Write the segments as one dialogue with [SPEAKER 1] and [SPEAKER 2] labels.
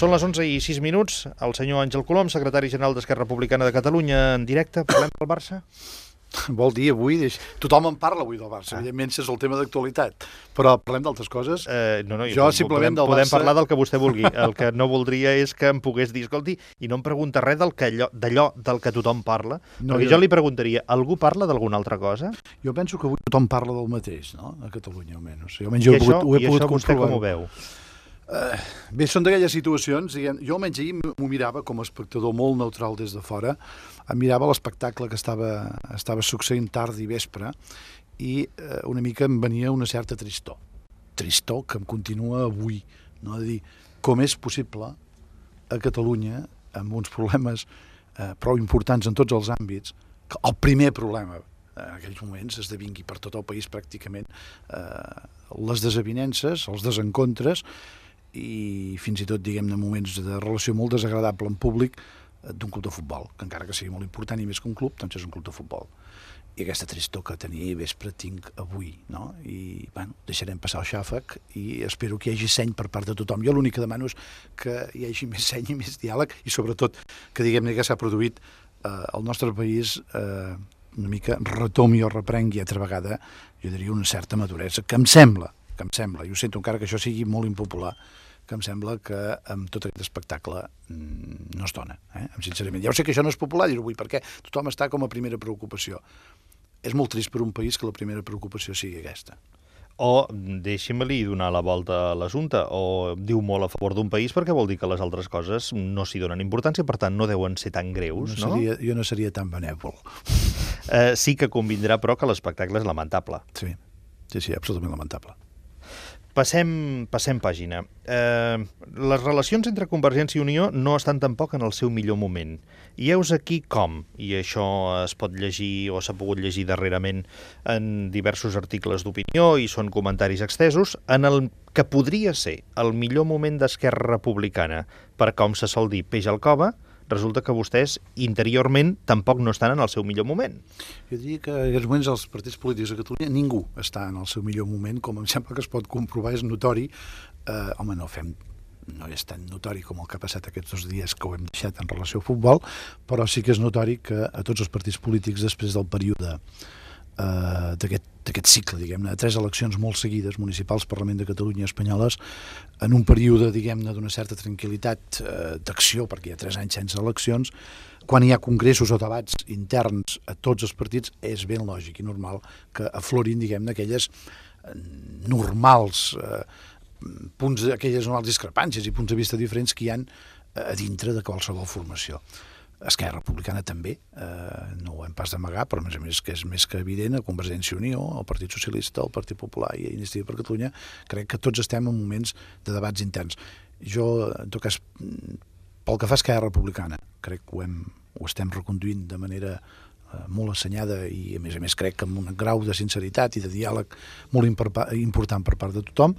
[SPEAKER 1] Són les 11:06, el senyor Àngel Colom, secretari general d'Esquerra Republicana de Catalunya, en directe. Parlem del Barça?
[SPEAKER 2] Vol dir avui... Tothom en parla avui del Barça, evidentment és el tema d'actualitat, però parlem d'altres coses.
[SPEAKER 1] Jo simplement del Barça... Podem parlar del que vostè vulgui. El que no voldria és que em pogués dir, escolti, i no em pregunta res d'allò del que tothom parla, perquè jo li preguntaria, algú parla d'alguna altra cosa?
[SPEAKER 2] Jo penso que avui tothom parla del mateix, no?, a Catalunya almenys.
[SPEAKER 1] I això vostè com ho veu?
[SPEAKER 2] Bé, són d'aquelles situacions, diguem, jo almenys ahir m'ho mirava com a espectador molt neutral des de fora, em mirava l'espectacle que estava succeint tard i vespre i una mica em venia una certa tristor que em continua avui, no? De dir, com és possible a Catalunya, amb uns problemes prou importants en tots els àmbits, que el primer problema en aquells moments esdevingui per tot el país pràcticament les desavinences, els desencontres i fins i tot, diguem-ne, moments de relació molt desagradable en públic d'un club de futbol, que encara que sigui molt important i més que un club, doncs és un club de futbol. I aquesta tristor que tenia ahir vespre tinc avui, no? I, bueno, deixarem passar el xàfec i espero que hi hagi seny per part de tothom. Jo l'únic que demano és que hi hagi més seny i més diàleg i sobretot que, diguem-ne, que s'ha produït al nostre país una mica retomi o reprengui altra vegada, jo diria, una certa maduresa, que em sembla, i ho sento encara que això sigui molt impopular, que em sembla que amb tot aquest espectacle no es dona, sincerament. Ja ho sé que això no és popular dir-ho avui, perquè tothom està com a primera preocupació. És molt trist per un país que la primera preocupació sigui aquesta.
[SPEAKER 1] O, deixi'm-li donar la volta a l'assumpte, o diu molt a favor d'un país perquè vol dir que les altres coses no s'hi donen importància, per tant no deuen ser tan greus, no?
[SPEAKER 2] Jo no seria tan benèvol.
[SPEAKER 1] Sí que convindrà, però, que l'espectacle és lamentable.
[SPEAKER 2] Sí, absolutament lamentable.
[SPEAKER 1] Passem pàgina. Les relacions entre Convergència i Unió no estan tampoc en el seu millor moment. I heus aquí com, i això es pot llegir o s'ha pogut llegir darrerament en diversos articles d'opinió i són comentaris extesos, en el que podria ser el millor moment d'Esquerra Republicana per, com se sol dir, peix al cove, resulta que vostès interiorment tampoc no estan en el seu millor moment.
[SPEAKER 2] Jo diria que en aquests moments els partits polítics a Catalunya ningú està en el seu millor moment, com em sembla que es pot comprovar, és notori. Home, no és tan notori com el que ha passat aquests 2 dies que ho hem deixat en relació al futbol, però sí que és notori que a tots els partits polítics, després del període d'aquest cicle, diguem-ne, de 3 eleccions molt seguides, municipals, Parlament de Catalunya i espanyoles, en un període, diguem-ne, d'una certa tranquil·litat d'acció, perquè hi ha 3 anys sense eleccions, quan hi ha congressos o debats interns a tots els partits, és ben lògic i normal que aflorin, diguem-ne, aquelles normals aquelles normals discrepàncies i punts de vista diferents que hi ha a dintre de qualsevol formació. Esquerra Republicana també, no ho hem pas d'amagar, però a més que és més que evident, a Convergència i Unió, al Partit Socialista, al Partit Popular i a Iniciativa per Catalunya, crec que tots estem en moments de debats interns. Jo, en tot cas, pel que fa a Esquerra Republicana, crec que ho estem reconduint de manera molt assenyada i, a més crec que amb un grau de sinceritat i de diàleg molt important per part de tothom.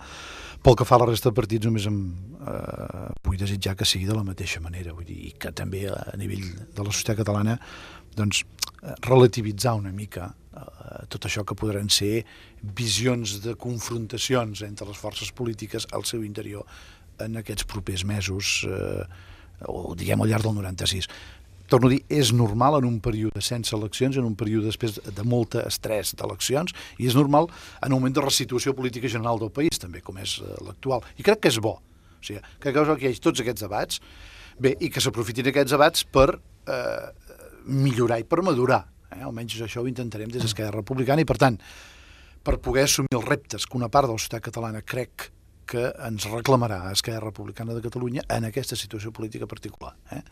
[SPEAKER 2] Pel que fa a la resta de partits, només vull desitjar que sigui de la mateixa manera, vull dir, i que també a nivell de la societat catalana doncs, relativitzar una mica tot això que podran ser visions de confrontacions entre les forces polítiques al seu interior en aquests propers mesos, o diguem al llarg del 96. Torno a dir, és normal en un període sense eleccions, en un període després de molt estrès d'eleccions, i és normal en un moment de resituació política general del país, també, com és l'actual. I crec que és bo. O sigui, crec que hi hagi tots aquests debats, bé, i que s'aprofitin aquests debats per millorar i per madurar. Almenys això ho intentarem des d'Esquerra Republicana, i per tant, per poder assumir els reptes que una part de la societat catalana crec que ens reclamarà a Esquerra Republicana de Catalunya en aquesta situació política particular.